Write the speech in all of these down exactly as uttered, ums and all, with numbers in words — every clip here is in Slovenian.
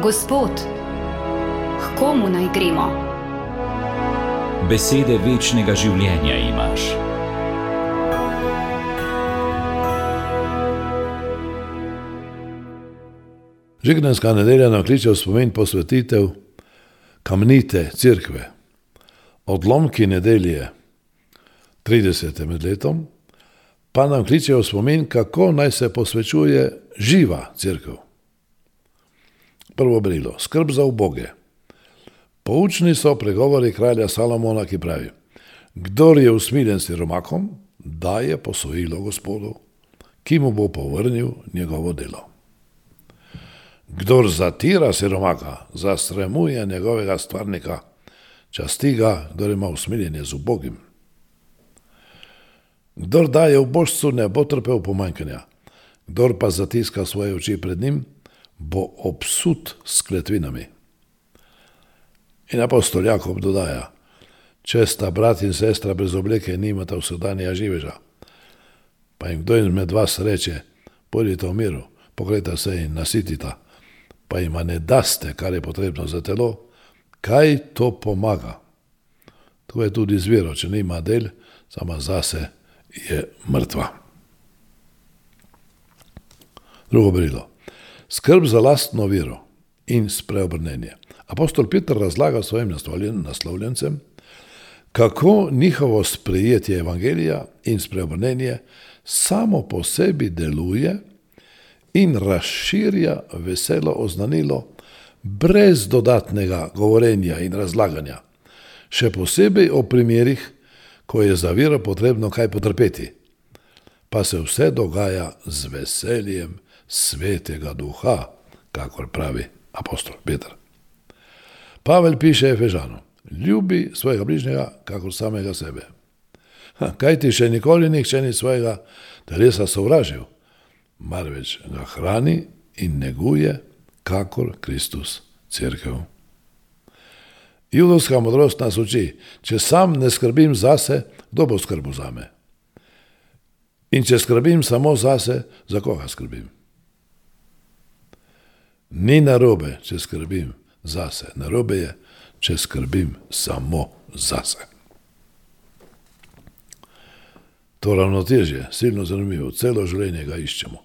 Gospod, k komu naj gremo? Besede večnega življenja imaš. Žignenska nedelja nam kliče v spomin posvetitev Kamnite cerkve. Odlomki nedelje, tridesete med letom, pa nam kliče v spomin, kako naj se posvečuje živa cerkev. Prvo brilo, skrb za uboge. Poučni so pregovori kralja Salomona, ki pravi: kdor je usmiljen siromakom, daje posojilo Gospodu, ki mu bo povrnil njegovo delo. Kdor zatira siromaka, zastremuje njegovega stvarnika, časti ga, kdor ima usmiljenje z ubogim. Kdor daje ubožcu, ne bo trpel pomanjkanja, kdor pa zatiska svoje oči pred njim, bo obsut s kletvinami. In apostol Jakob dodaja: če sta brat in sestra brez obleke, nimata vsakdanja živeža. Pa jim kdo izmed vas reče: pojdite v miru, pokrejta se in nasitita, pa jima ne daste, kar je potrebno za telo, kaj to pomaga? To je tudi z vero, če nima del, sama zase je mrtva. Drugo brilo. Skrb za lastno vero in spreobrnenje. Apostol Peter razlaga svojim naslovljencem, kako njihovo sprejetje evangelija in spreobrnenje samo po sebi deluje in razširja veselo oznanilo brez dodatnega govorenja in razlaganja, še posebej o primerih, ko je za vero potrebno kaj potrpeti, pa se vse dogaja z veseljem Svetega Duha, kakor pravi apostol Peter. Pavel piše Efežanu: ljubi svojega bližnjega kakor samega sebe. Kaj ti še nikoli nihče ni svojega telesa sovražil, marveč ga hrani in neguje, kakor Kristus cerkev. Judovska modrost nas uči: če sam ne skrbim zase, kdo bo skrbel zame? In če skrbim samo zase, za koga skrbim? Ni narobe, če skrbim zase, narobe je, če skrbim samo zase. To ravnotežje, silno zanimivo, celo življenje ga iščemo.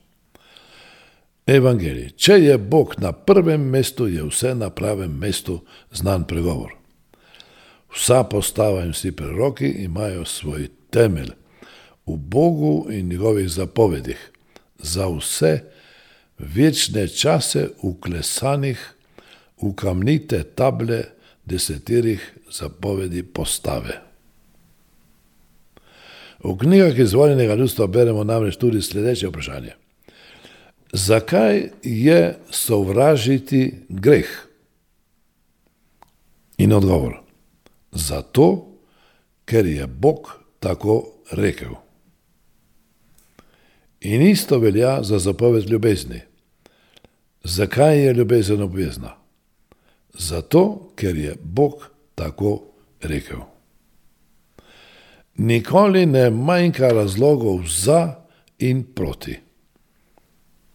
Evangelij. Če je Bog na prvem mestu, je vse na pravem mestu, znan pregovor. Vsa postava in vsi preroki imajo svoj temelj v Bogu in njegovih zapovedih, za vse večne čase vklesanih v kamnite table deseterih zapovedi postave. V knjigah izvoljenega ljudstva beremo namreč tudi sledeče vprašanje: zakaj je sovražiti greh? In odgovor: zato, ker je Bog tako rekel. In isto velja za zapoved ljubezni. Zakaj je ljubezen obvezna? Zato, ker je Bog tako rekel. Nikoli ne manjka razlogov za in proti.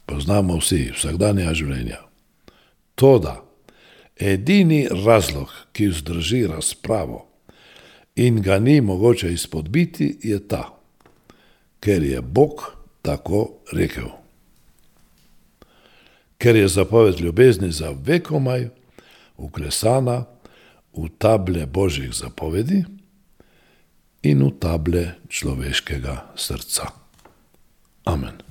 Poznamo vsi vsakdanja življenja. Toda edini razlog, ki vzdrži razpravo in ga ni mogoče izpodbiti, je ta: ker je Bog tako rekel. Ker je zapoved ljubezni za vekomaj vklesana v table Božjih zapovedi in v table človeškega srca. Amen.